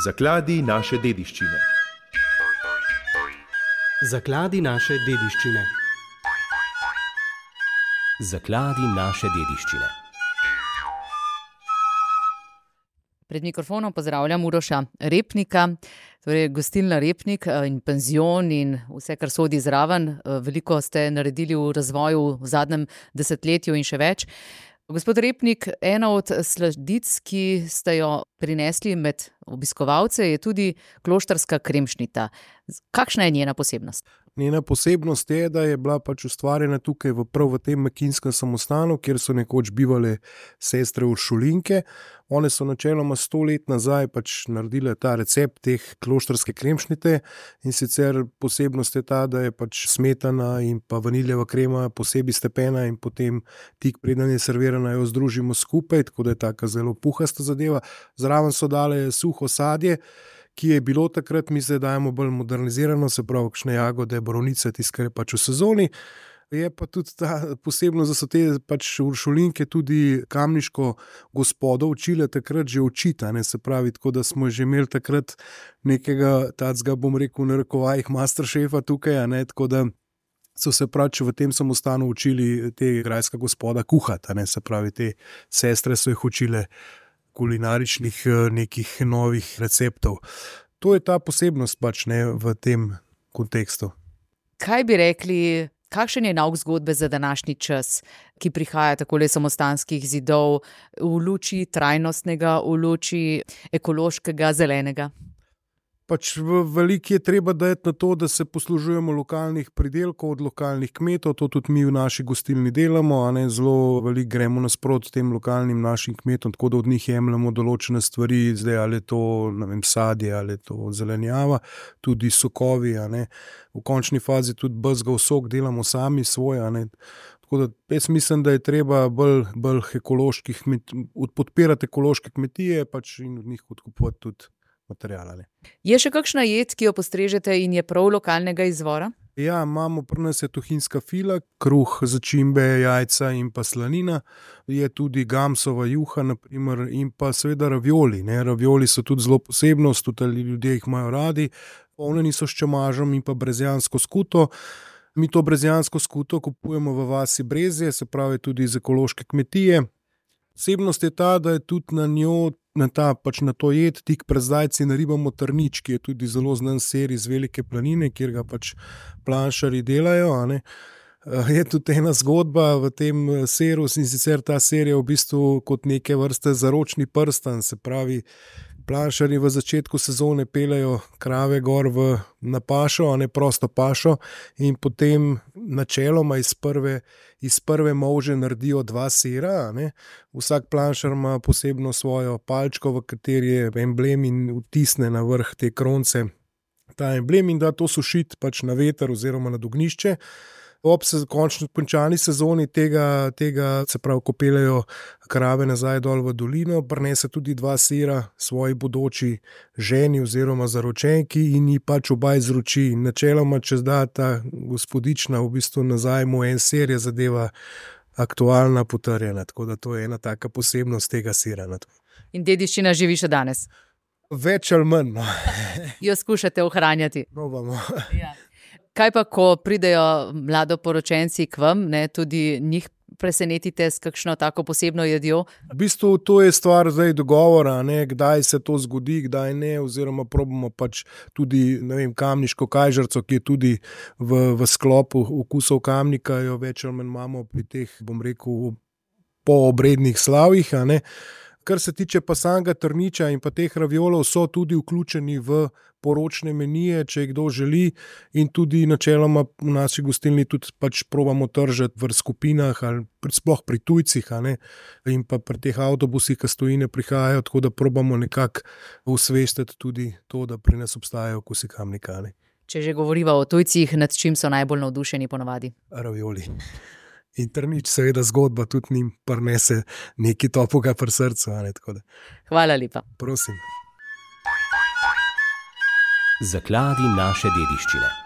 Zakladi naše dediščine. Zakladi naše dediščine. Zakladi naše dediščine. Pred mikrofonom pozdravljam Uroša Repnika, torej gostilna Repnik in penzion in vse, kar sodi zraven. Veliko ste naredili v razvoju v zadnjem desetletju in še več. Gospod Repnik, ena od sladic, ki ste jo prinesli med obiskovalce, je tudi kloštrska kremšnita. Kakšna je njena posebnost? Njena posebnost je, da je bila ustvarjena tukaj prav v tem Mekinskem samostanu, kjer so nekoč bivale sestre Uršulinke. One so načeloma 100 let nazaj naredile ta recept teh kloštrske kremšnite in sicer posebnost je ta, da je smetana in pa vaniljeva krema posebej stepena in potem tik preden je servirana jo združimo skupaj, tako da je taka zelo puhasta zadeva. Zraven so dale suho sadje, ki je bilo takrat, mi zdaj dajemo bolj modernizirano, se pravi kakšne jagode, borovnice, tisto, kar je v sezoni. Je pa tudi ta posebnost, da so te Uršulinke tudi kamniško gospodo učile takrat že učiti, se pravi, tako da smo že imeli takrat nekega tacga, bom rekel, v narekovajih masterchefa tukaj, tako da so se v tem samostanu učili te grajska gospoda kuhati, se pravi, te sestre so jih učile kulinaričnih nekih novih receptov. To je ta posebnost v tem kontekstu. Kaj bi rekli, kakšen je nauk zgodbe za današnji čas, ki prihaja takole samostanskih zidov v luči trajnostnega, v luči ekološkega, zelenega? Veliko je treba dati na to, da se poslužujemo lokalnih pridelkov od lokalnih kmetov, to tudi mi v naši gostilni delamo, zelo veliko gremo nasproti tem lokalnim našim kmetom, tako da od njih jemljemo določene stvari, zdaj ali je to, sadje, ali je to zelenjava, tudi sokovi, v končni fazi tudi bezgov sok delamo sami svoj, Tako da jaz mislim, da je treba bolj ekoloških podpirati ekološke kmetije in od njih odkupovati tudi materiala. Je še kakšna jed, ki jo postrežete in je prav lokalnega izvora? Ja, imamo pri nas je tuhinjska fila, kruh, začimbe, jajca in pa slanina. Je tudi gamsova juha, naprimer, in pa seveda ravioli. Ravioli so tudi zelo posebnost, tudi ljudje jih imajo radi. Polnjeni so s čemažem in pa brezjansko skuto. Mi to brezjansko skuto kupujemo v vasi Brezje, se pravi tudi iz ekološke kmetije. Posebnost je ta, da je tudi na njo, na to jed, tik pred zdajci naribamo trnič, ki je tudi zelo znan sir iz Velike Planine, kjer ga planšarji delajo. Je tudi ena zgodba v tem siru, in sicer ta sir je v bistvu kot neke vrste zaročni prstan, se pravi, planšarji v začetku sezone peljejo krave gor na pašo, prosto pašo, in potem načeloma iz prve molže naredijo 2 sira. Vsak planšar ima posebno svojo palčko, v kateri je emblem, in vtisne na vrh te kronce ta emblem in da to sušiti na veter oziroma na ognjišče. Ob končani sezoni tega, se pravi, ko peljejo krave nazaj dol v dolino, prinese tudi 2 sira svoji bodoči ženi oziroma zaročenki in ji oba izroči. Načeloma, če zda ta gospodična v bistvu nazaj mu en sir, je zadeva aktualna, potrjena. Tako da to je ena taka posebnost tega sira. In dediščina živi še danes? Več ali manj. Jo skušate ohranjati? Probamo. Ja. Kaj pa, ko pridejo mladoporočenci k vam, tudi njih presenetite s kakšno tako posebno jedjo? V bistvu to je stvar zdaj dogovora, kdaj se to zgodi, kdaj ne, oziroma probamo tudi, kamniško kajžarco, ki je tudi v sklopu okusov Kamnika, jo več ali manj imamo pri teh, bom rekel, poobrednih slavjih. Kar se tiče pa samega trniča in pa teh raviolov, so tudi vključeni v poročne menije, če jih kdo želi, in tudi načeloma v naši gostilni tudi probamo tržiti v skupinah ali sploh pri tujcih, in pa pri teh avtobusih, ki stojine prihajajo, tako da probamo nekako osvestiti tudi to, da pri nas obstajajo okusi Kamnika. Če že govoriva o tujcih, nad čim so najbolj navdušeni ponavadi? Ravioli. In trnič, seveda, zgodba tudi njim prinese nekaj toplega pri srcu. Hvala lepa. Prosim. Zakladi naše dediščine.